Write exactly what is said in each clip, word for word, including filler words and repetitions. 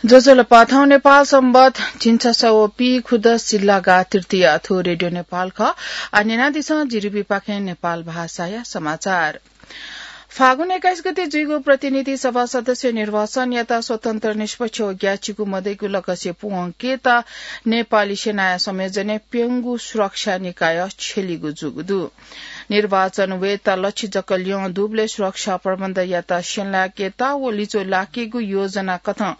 ज्वजलपा, थौं नेपाल संवत झिंछसः व पीखुदस जिल्लागा तृतीया। थ्व रेडियो नेपाल खः। आः न्यनादिसँ जिरिबीपाखें नेपाल भाषाया समाचार। फागुन एक्काइस गते जुइगु प्रतिनिधि सभा सदस्य निर्वाचनयात स्वतन्त्र, निष्पक्ष व ग्याःचिकु मदइगु लक्ष्य पूवंकेत नेपाली सेनाया संयोजनय् प्यंगू सुरक्षा निकाय छ्यलीगु जूगु दु। निर्वाचन वयेत लछि जक ल्यं दुबलय् सुरक्षा प्रबन्धयात स्यनाकेत व लिच्वः लाकेगु योजना कथं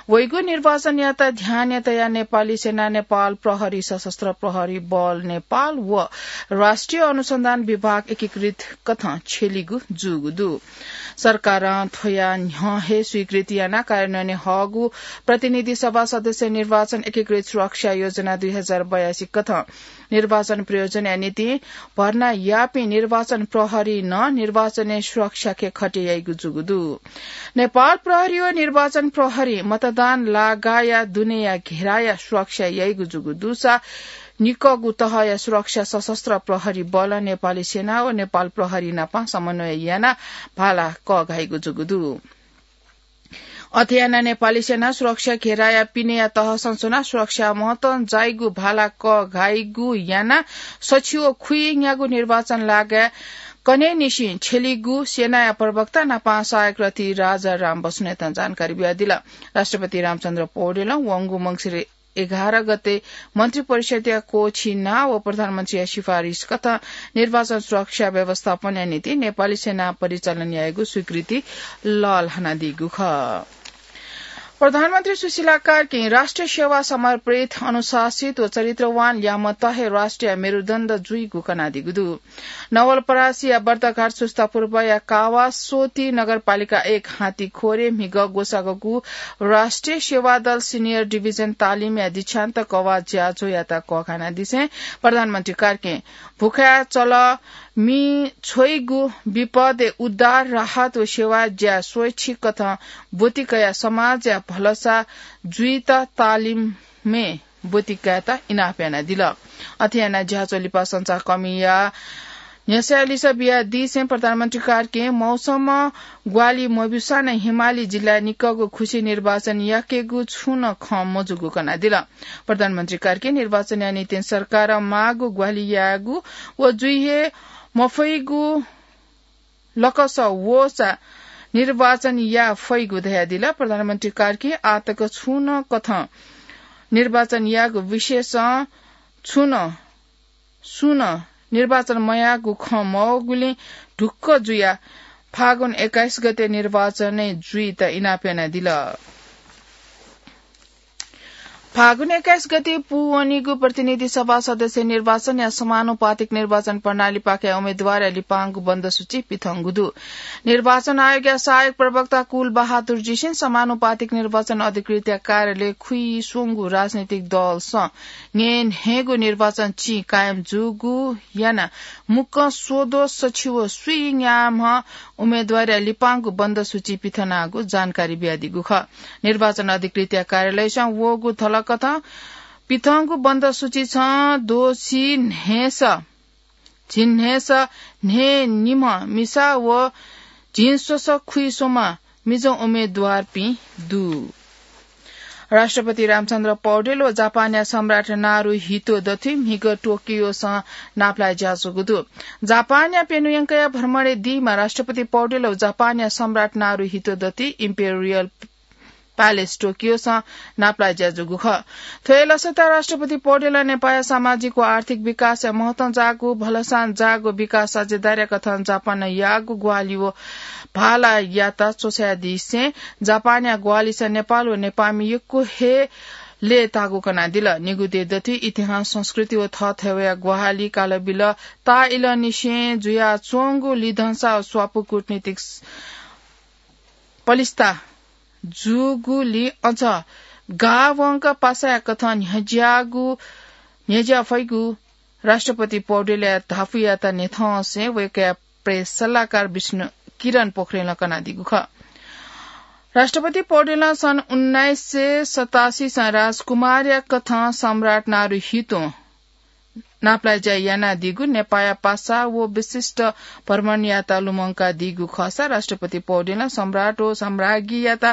वइगु निर्वाचनयात ध्यानय् तयाः नेपाली सेना, नेपाल प्रहरी, सशस्त्र प्रहरी बल नेपाल व राष्ट्रिय अनुसन्धान विभाग एकीकृत कथं छ्यलीगु जूगु दु। सरकारं थ्वया न्ह्यः हे स्वीकृति यानाः कार्यान्वयनय् हःगु प्रतिनिधि सभा सदस्य निर्वाचन एकीकृत सुरक्षा योजना दुई हजार बयासी कथं निर्वाचन प्रयोजनया निंतिं भर्ना याःपिं निर्वाचन प्रहरीं नं निर्वाचनय् सुरक्षाके खटे याइगु जूगु दु। नेपाल प्रहरी व निर्वाचन प्रहरीं मतदान लागाया दुनेया घेराया सुरक्षा याइगु जूगु दुसा निक्वःगु तहया सुरक्षा सशस्त्र प्रहरी बलं नेपाली सेना व नेपाल प्रहरी नाप समन्वय यानाः भाला कःघाइगु जूगु दु। अथे यानाः नेपाली सेना सुरक्षा घेराया पिनेया तहसं च्वनाः सुरक्षा महतं जाइगु भाला कःघाइगु यानाः सछि व खुइन्यागू निर्वाचन लागाय् कन्हय्‌निसें छ्यलीगु सेनाया प्रवक्ता नाप सहायक रथी राजाराम बस्नेतं जानकारी बियादिल। राष्ट्रपति रामचन्द्र पौडेलं वंगु मंसिर एघार गते मन्त्रिपरिषद्या क्वःछिना व प्रधानमन्त्रीया सिफारिस कथं निर्वाचन सुरक्षा व्यवस्थापनया निंतिं नेपाली सेना परिचालन यायेगु स्वीकृति लःल्हानादीगु खः। प्रधानमन्त्री सुशीला कार्कीं राष्ट्रिय सेवा समर्पित, अनुशासित व चरित्रवान ल्याय्म्ह तःहे राष्ट्रिय मेरुदण्ड जुइगु कनादीगु दु। नवलपरासीया बर्दघाट सुस्ता पूर्वया कावासोती नगरपालिका एक हातीखोरे म्हिगः ग्वसाःगु राष्ट्रिय सेवा दल सिनियर डिभिजन तालिमया दीक्षान्त कवाः ज्याझ्वःयात कःघानादिसें प्रधानमन्त्री कार्कीं भुखाय् चल, मि छ्वइगु, विपदय् उद्धार, राहत व सेवा ज्या स्वैच्छिक कथं ब्वति कयाः समाजया भलसा जुइत तालिमय् ब्वति कायेत इनाप यानादिल। अथे यानाः ज्याझ्वः लिपा संचारकर्मीया न्ह्यसःया लिसः बियादीसें प्रधानमन्त्री कार्कीं मौसम ग्वाहालि मब्यूसां नं हिमाली जिल्लाय् निक्वःगु खुसि निर्वाचन याकेगु छुं नं खँ मजूगु कनादिल। प्रधानमन्त्री कार्कीं निर्वाचनया निंतिं सरकारं माःगु ग्वाहालि यायेगु व जुइ हे मफइगु लकस वःसा निर्वाचन याये फइगु धयादिल। प्रधानमन्त्री कार्कीं आःतक छुं नं कथं निर्वाचन यायेगु विषयसं छुं नं, सुं नं निर्वाचन मयाःगु खँ मवःगुलिं ढुक्क जुयाः फागुन एक्काइस गते निर्वाचनय् जुइत इनाप यानादिल। फागुन एक्काइस गते पूवनीगु प्रतिनिधि सभा सदस्य निर्वाचनया समानुपातिक निर्वाचन प्रणालीपाखें उम्मेदवारया लिपांगु बन्द सूची पिथंगु दु। निर्वाचन आयोगया सहायक प्रवक्ता कुल बहादुर जीसिं समानुपातिक निर्वाचन अधिकृतया कार्यालय खुइस्वंगु राजनीतिक दलसं न्हय्न्हय्गु निर्वाचन चिं कायम जूगु यानाः मुक्कं स्वद्वः सछि व स्वीन्याम्ह उम्मेदवारया लिपांगु बन्द सूची पिथनागु जानकारी बियादीगु खः। निर्वाचन अधिकृतया कार्यालयसं वःगु धलकथं पिथंगु बन्द सूची छं दोषी न्हय्स, झिंन्हय्स न्हय्निम्ह मिसा व झिंस्वसः खुइस्वम्ह मिजं उम्मेदवारपिं दु। राष्ट्रपति रामचन्द्र पौडेल व जापानया सम्राट नारुहितो दथुइ म्हिगः टोकियोसं नापलाये ज्याझ्वःगु दु। जापानया प्यन्हु यंकया भ्रमणय् दीम्ह राष्ट्रपति पौडेल व जापानया सम्राट नारुहितो दथुइ इम्पेरियल प्यालेस टोकियोसं नापलाये ज्याझ्वःगु खः। थ्व हे लसताय् राष्ट्रपति पौडेलं नेपाःया सामाजिक व आर्थिक विकासय् महतं जाःगु, भलसां जाःगु विकास साझेदारीया कथं जापानं याःगु ग्वाहालि व भालायात च्वछायादिसें जापानया ग्वाहालिसं नेपाल व नेपाःमि यक्व हे लय्ताःगु कनादिल। निगू दँय् दथुइ इतिहास, संस्कृति व थःथवया ग्वाहालि कालबिल ताःइलंनिसें जुयाच्वंगु लिधंसा व स्वापू कूटनीतिक पलिस्था जूगुलिं अझ गाः वंक पासाया कथं न्ह्यज्याःगु, न्ह्यज्या फइगु राष्ट्रपति पौडेलया धापूयात न्ह्यथंसें वय्कःया प्रेस सल्लाहकार विष्णु किरण पोखरेलं कनादीगु खः। राष्ट्रपति पौडेलं सन् उन्नाइस सय सतासीसं राजकुमारया कथं सम्राट नारुहितों नापलाये ज्या यानादीगु, नेपाःया पासा व विशिष्ट भ्रमणयात लुमंकादीगु खःसा राष्ट्रपति पौडेलं सम्राट व सम्राज्ञीयात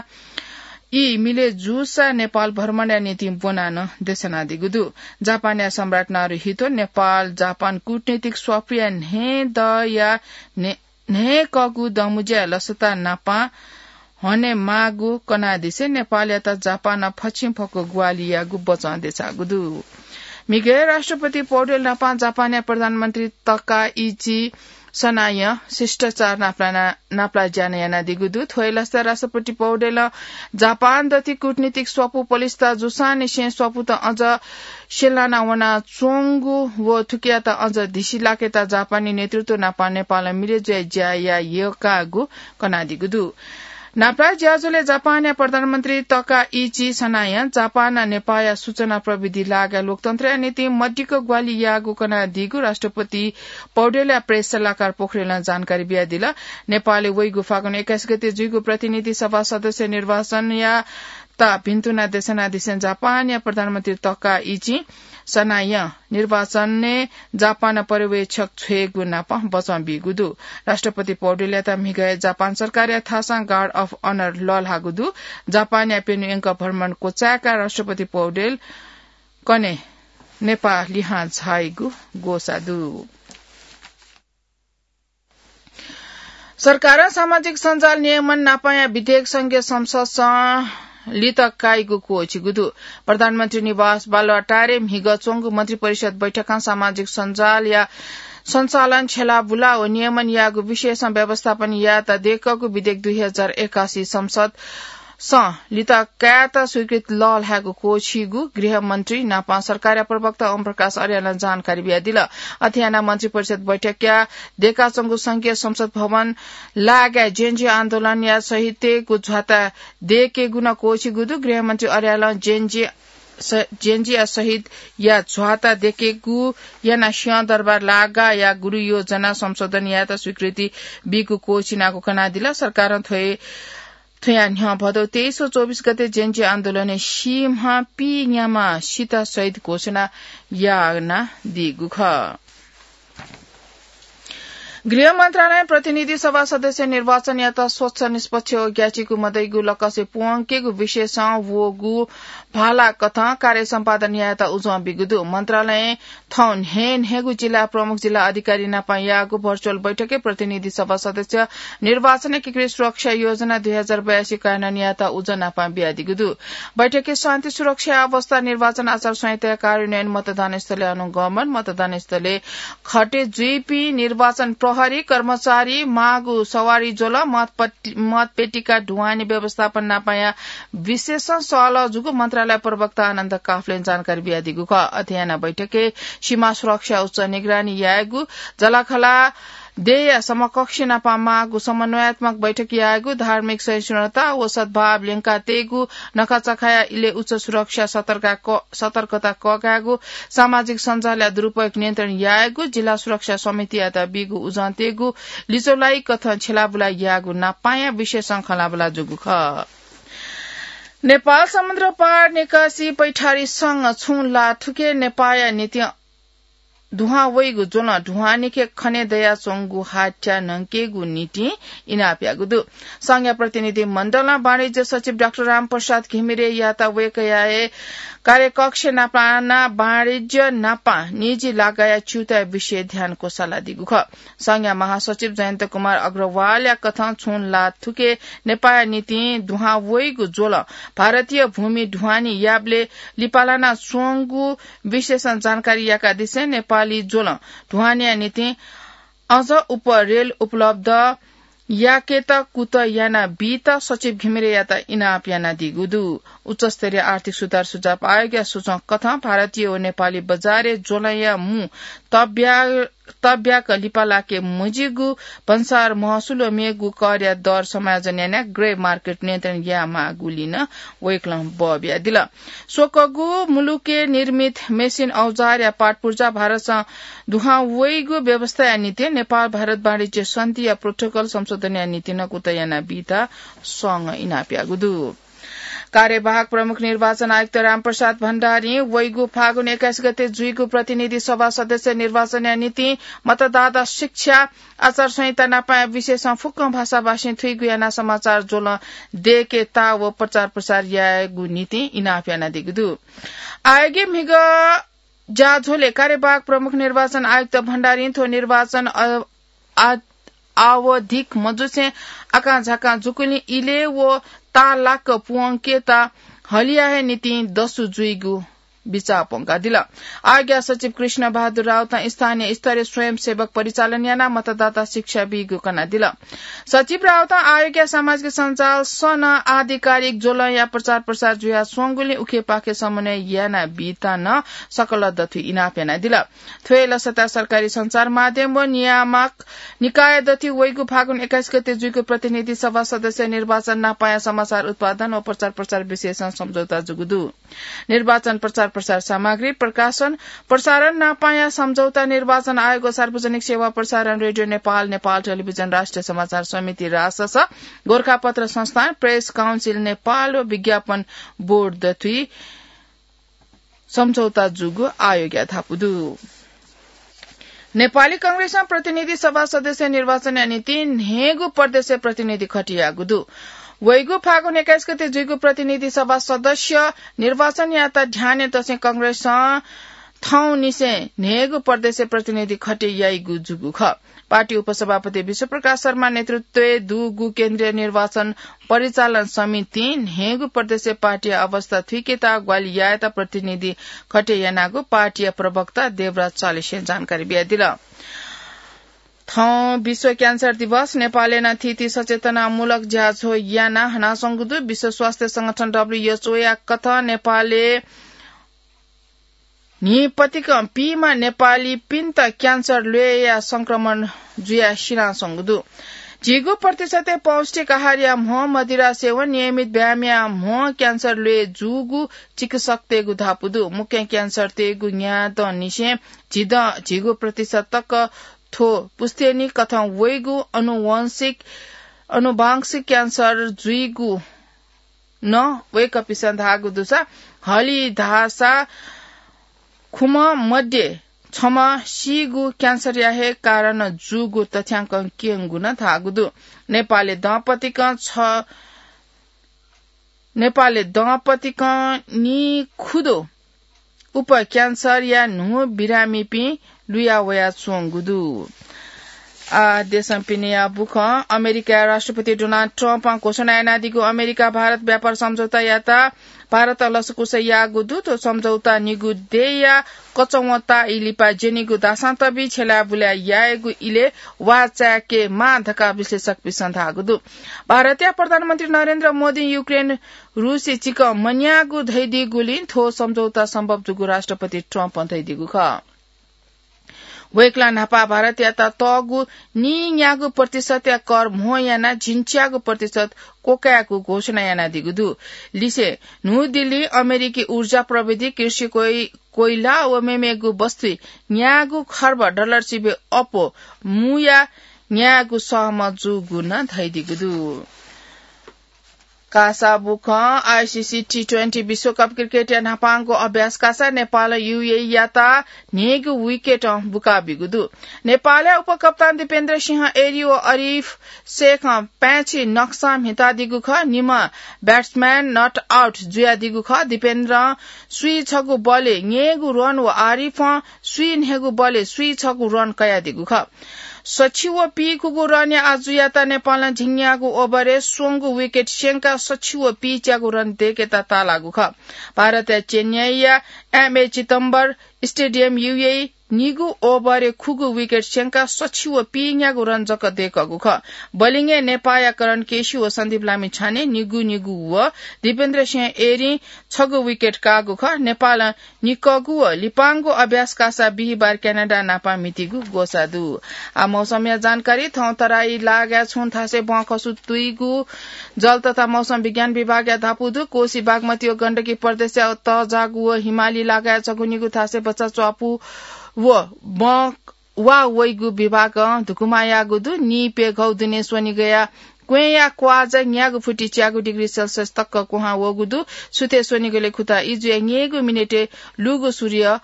ई मिले जूसा नेपाल भ्रमणया निंतिं ब्वनाः नं देछानादीगु दु। जापानया सम्राट नारुहितो नेपाल जापान कूटनीतिक स्वापुया न्हय्दँया न्हय्-, न्हय्कःगु दँमुँज्याय् लसता नापं हनेमाःगु कनादिसे नेपालयात जापानं फछिंफक्व ग्वाहालि याःगु बचं देछाःगु दु। म्हिगय् राष्ट्रपति पौडेल नापं जापानया प्रधानमन्त्री तकाइची सनायं शिष्टाचार नापलाना-, नापलाज्या नं यानादीगु दु। थ्व हे लसताय् राष्ट्रपति पौडेलं जापान दथुइ कूटनीतिक स्वापू पलिस्था जूसांनिसें स्वापूत अझ स्यलाना वनाच्वंगु व थुकियात अझ धिसिलाकेत जापानी नेतृत्व नापं नेपालं मिले जुयाः ज्या याये यःकाःगु कनादीगु दु। नापलाः ज्याझ्वलय् जापानया प्रधानमन्त्री तकाइची सनायं जापानं नेपाःया सूचना प्रविधि लागाय् लोकतन्त्रया निंतिं मदिक्क ग्वाहालि याःगु कनादीगु राष्ट्रपति पौडेलया प्रेस सल्लाहकार पोखरेलं जानकारी बियादिल। नेपालय् वइगु फागुन एक्काइस गते जुइगु प्रतिनिधि सभा सदस्य निर्वाचनयात भिन्तुना देछानादिसें जापानया प्रधानमन्त्री तकाइची सनायं निर्वाचनय् जापान पर्यवेक्षक छ्वयेगु नाप बचं बीगु दु। राष्ट्रपति पौडेलयात म्हिगय् जापान सरकारया थासं Guard of Honour लःल्हाःगु दु। जापानया प्यन्हु यंक भ्रमण क्वचाय्काः राष्ट्रपति पौडेल कन्हय् नेपाः लिहां झाइगु ग्वसाः दु। सरकारं सामाजिक सञ्जाल नियमन नापंया विधेयक संघीय संसदसं लित काइगु क्वःछिगु दु। प्रधानमन्त्री निवास बालुवाटारय् म्हिगः च्वंगु मन्त्रिपरिषद बैठकं सामाजिक सञ्जालया सञ्चालन, छ्यलाबुला व नियमन यायेगु विषयसं व्यवस्थापन यायेत दय्कःगु विधेयक दुई हजार एकासी संसद सं लित कायेत स्वीकृति लःल्हायेगु क्वःछिइगु गृहमन्त्री नापं सरकारया प्रवक्ता ओम प्रकाश अर्यालं जानकारी बियादिल। अथे यानाः मन्त्रिपरिषद बैठकया दय्काच्वंगु संघीय संसद भवन लागाय् जेएनजी आन्दोलनया शहीदतय्गु झ्वाता दय्केगु नं क्वःछिइगु दु। गृहमन्त्री अर्यालं जेएनजी स-, जेएनजीया शहीदया झ्वाता दय्केगु यानाः सिंहदरबार लागाया गुरुयोजना संशोधन यायेत स्वीकृति बीगु क्वःछिनागु कनादिल। सरकारं थ्व हे थ्वया न्ह्यः भदौ तेइस व चौबिस गते जेएनजी आन्दोलनय् सीम्ह पीन्याम्ह सित शहीद घोषणा यानादीगु खः। गृह मन्त्रालयं प्रतिनिधि सभा सदस्य निर्वाचनयात स्वच्छ, निष्पक्ष व ग्याःचिकु मदइगु लकसय् प्वंकेगु विषयसं वःगु भाला कथं कार्य सम्पादन यायेत उजं बीगु दु। मन्त्रालयं थौं न्हय्न्हय्गु जिल्ला प्रमुख जिल्ला अधिकारी नापं याःगु भर्चुअल बैठकय् प्रतिनिधि सभा सदस्य निर्वाचन एकीकृत सुरक्षा योजना दुई हजार बयासी कार्यान्वयन यायेत उजं नापं बियादीगु दु। बैठकय् शान्ति सुरक्षा अवस्था, निर्वाचन आचार संहिता कार्यान्वयन, मतदान स्थलय् अनुगमन, मतदान स्थलय् खटे जुइपिं निर्वाचन प्रहरी कर्मचारी, माःगु सवारी ज्वलं, मतपट-, मतपेटिका ढुवानी व्यवस्थापन नापंया विशेषं सहलह जूगु मन्त्रालय प्रवक्ता आनन्द काफ्लें जानकारी बियादीगु खः। अथे यानाः बैठकय् सीमा सुरक्षा उच्च निगरानी यायेगु, जःलाखःला देय्या समकक्ष नापं माःगु समन्वयात्मक बैठक यायेगु, धार्मिक सहिष्णुता व सद्भाव ल्यंकातयेगु, नखःचखःया इलय् उच्च सुरक्षा सतर्का क-, सतर्कता कःघायेगु, सामाजिक सञ्जालया दुरुपयोग नियन्त्रण यायेगु, जिल्ला सुरक्षा समितियात बीगु उजं तयेगु, लिचौलाइ कथं छ्यलाबुला यायेगु नापंया विषयसं खँल्हाबल्हा जूगु खः। नेपाल समुद्र पार निकासी पैठारी संघं छुं ला थुके नेपाःया निंतिं दुहां वइगु ज्वलं ढुवानीखे खने दयाच्वंगु हात्या न्हंकेगु निंतिं इनाप याःगु दु। संघया प्रतिनिधि मण्डलं वाणिज्य सचिव डाक्टर रामप्रसाद घिमिरेयात वय्कःया हे कार्यकक्ष नापलानाः वाणिज्य नापं निजी लागाया च्यूताया विषयय् ध्यान क्वसालादीगु खः। संघया महासचिव जयन्त कुमार अग्रवालया कथं छुं ला थुके नेपाःया निंतिं दुहां वइगु ज्वलं भारतीय भूमि ढुवानी याबलय् लिपालाना च्वंगु विषयसं जानकारी याकादिसें नेपाली ज्वलं ढुवानीया निंतिं अझ उप रेल उपलब्ध याकेत कुतः यानाबीत सचिव घिमिरेयात इनाप यानादीगु दु। उच्चस्तरीय आर्थिक सुधार सुझाव आयोगया सूचं कथं भारतीय व नेपाली बजारय् ज्वलंया मू तब्या-, तब्याक लिपा लाके मजिगु भन्सार महसुल व मेगु करया दर समायोजन यानाः ग्रे मार्केट नियन्त्रण यायेमाःगुलिं नं वय्कलं बः बियादिल। स्वकगु मुलुकय् निर्मित मेसिन औजारया पाटपुर्जा भारतसं दुहां वइगु व्यवस्थाया निंतिं नेपाल भारत वाणिज्य सन्धिया प्रोटोकल संशोधनया निंतिं नं कुतः यानाबीत संघं इनाप याःगु दु। कार्यवाहक प्रमुख निर्वाचन आयुक्त रामप्रसाद भण्डारीं वइगु फागुन एक्काइस गते जुइगु प्रतिनिधि सभा सदस्य निर्वाचनया निंतिं मतदाता शिक्षा आचार संहिता नापाया विषयसं फुक्क भाषाभाषी थुइगु यानाः समाचार ज्वलं दय्केत व प्रचार प्रसार यायेगु निंतिं इनाप यानादीगु दु। आयोगया म्हिगः ज्याझ्वलय् कार्यवाहक प्रमुख निर्वाचन आयुक्त भण्डारीं थ्व निर्वाचन अ-, आ-, आवधिक मजुसें आकांझाकां जूगुलिं इलय् व ताःलाक प्वंकेत हलिया हे निंतिं दसु जुइगु बिचाः प्वंकादिल। आज्ञा सचिव कृष्ण बहादुर राउतं स्थानीय स्तरय् स्वयंसेवक परिचालन यानाः मतदाता शिक्षा बीगु कनादिल। सचिव राउतं आयोगया सामाजिक सञ्जाल सन आधिकारिक ज्वलंया प्रचार प्रसार जुयाच्वंगुलिं उखेपाखे समन्वय यानाबीत नं सकल दथुइ इनाप यानादिल। थ्व हे लसता सरकारी सञ्चार माध्यम व नियामक निकाय दथुइ वइगु फागुन एक्काइस गते जुइगु प्रतिनिधि सभा सदस्य निर्वाचन नापाया समाचार उत्पादन व प्रचार प्रसार विषयसं सम्झौता जूगु दु। निर्वाचन प्रचार प्रसार सामग्री प्रकाशन प्रसारण नापाया सम्झौता निर्वाचन आयोग व सार्वजनिक सेवा प्रसारण रेडियो नेपाल, नेपाल टेलिभिजन, राष्ट्रिय समाचार समिति, रासस, गोरखापत्र संस्थान, प्रेस काउन्सिल नेपाल व विज्ञापन बोर्ड दथुइ सम्झौता जूगु आयोगया धापू दु। नेपाली कांग्रेसं प्रतिनिधि सभा सदस्य निर्वाचनया निंतिं न्हय्गू प्रदेशय् प्रतिनिधि खटेयाःगु दु। वइगु फागुन एक्काइस गते जुइगु प्रतिनिधि सभा सदस्य निर्वाचनयात ध्यानय् तसें कांग्रेसं थौंनिसें न्हय्गू प्रदेशय् प्रतिनिधि खटेयाइगु जूगु खः। पार्टी उपसभापति विश्वप्रकाश शर्मा नेतृत्वय् दुगु केन्द्रीय निर्वाचन परिचालन समितिं न्हय्गू प्रदेशय् पार्टीया अवस्था थुइकेत ग्वाहालि यायेत प्रतिनिधि खटे यानागु पार्टीया प्रवक्ता देवराज चालिसें जानकारी बियादिल। थौं विश्व क्यान्सर दिवस। नेपालय् नं थीथी सचेतनामूलक ज्याझ्वः यानाः हनाच्वंगु दु। विश्व स्वास्थ्य संगठन, डब्ल्यूएचओ या कथं नेपालय् न्हिपतिकं पीम्ह नेपालीपिन्त क्यान्सर ल्वय्या संक्रमण जुयाः सिनाच्वंगु दु। झिगू प्रतिशतय् पौष्टिक आहारया म्हो, मदिरा सेवन, नियमित व्यायामया म्हो क्यान्सर ल्वय् जूगु चिकित्सकतय्गु धापू दु। मुख्य क्यान्सरतय्गु न्यादँनिसें झिदँ झिगू प्रतिशत तक थ्व पुस्तेनी कथं वइगु अनुवंशिक, अनुवांशिक क्यान्सर जुइगु नं वय्कःपिसं धाःगु दुसा हलिधाःसा खुम्ह मध्ये छम्ह सीगु क्यान्सरया हे कारण जूगु तथ्यांकं क्यंगु नं धाःगु दु। नेपालय् दँपतिकं छ, नेपालय् दँपतिकं निखुदँ उप क्यान्सरया न्हू बिरामीपिं लुया वयाच्वंगु दु। आ, देशं पिनेया बुखँ। अमेरिकाया राष्ट्रपति डोनाल्ड ट्रम्पं घोषणा यानादीगु अमेरिका भारत व्यापार सम्झौतायात भारतं लसकुस याःगु दु। थ्व सम्झौता निगू देय्या कचवंताःया लिपा ज्यनीगु दासांतबी छ्यलाय् बुलाय् यायेगु इलय् वाः चाय्के माः धकाः विश्लेषकपिसं धाःगु दु। भारतया प्रधानमन्त्री नरेन्द्र मोदीं युक्रेन रुसय् चिकं मन्याःगु धयादीगुलिं थ्व सम्झौता सम्भव जूगु राष्ट्रपति ट्रम्पं धयादीगु खः। वय्कलं न्हापा भारतयात तःगु नीन्यागू प्रतिशतया कर म्हो यानाः झिंच्यागू प्रतिशत क्वकायेगु घोषणा यानादीगु दु। लिसें न्हू दिल्लीं अमेरिकी ऊर्जा, प्रविधि, कृषि, कोइ-, कोइला व मेमेगु वस्तुइ न्यागू खर्ब डलर सिबें अप्वः मुया न्यायेगु सहमत जूगु नं धयादीगु दु। कासा बुखँ। आइसिसी टी ट्वेन्टी विश्वकप क्रिकेटया न्हापांगु अभ्यास कासा नेपालं युएईयात न्हय्गू विकेटं बुकाबीगु दु। नेपालया उपकप्तान दीपेन्द्र सिंह एरी व अरिफ शेखं पाय्छि नक्सां म्हितादीगु खः। निम्ह ब्याट्सम्यान नट आउट जुयादीगु खः। दीपेन्द्रं स्वीछगू बलय् न्यय्गू रन व आरिफं स्वीन्हय्गू बलय् स्वीछगू रन कयादीगु खः। सछि व पीखुगू रनया आजुयात नेपालं झिंन्यागू ओभरय् स्वंगू विकेट स्यंकाः सछि व पीच्यागू रन दय्केत ताःलाःगु खः। भारतया चेन्नईया एमए चिदम्बर स्टेडियम युएई निगू ओभरय् खुगू विकेट स्यंकाः सछि व पीन्यागू रन जक दय्कःगु खः। बलिङय् नेपाःया करण केसी व सन्दीप लामिछाने निगू निगू व दीपेन्द्र सिंह एरीं छगू विकेट काःगु खः। नेपालं निक्वःगु व लिपांगु अभ्यास कासा बिहिबार क्यानाडा नापं म्हितीगु ग्वसाः दु। आ, मौसमया जानकारी। थौं तराई लागाय् छुं थासय् बँखसु तुइगु जल तथा मौसम विज्ञान विभागया धापू दु। कोसी, बागमती व गण्डकी प्रदेशया तःजाःगु व हिमाली लागाय् छगू निगू थासय् भचा च्वापु व बँ वा वइगु विभागं धुकुमा याःगु दु। नीप्यघौ दुने स्वनिगया क्वँय्‌या क्वाःया न्यागू फुति च्यागू डिग्री सेल्सियस तक क्वहां वःगु दु। सुथय् स्वनिगलय् खुता ई जुया न्यय्‌गू मिनेटय् लूगु सूर्य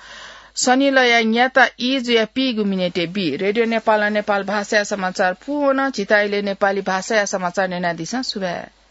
सनिलया न्याता ई जुया पीगु मिनेटय् बी। रेडियो नेपालं नेपाल भाषाया समाचार पूवन। झीत इलय् नेपाली भाषाया समाचार न्यनादिसँ। सुभाय्।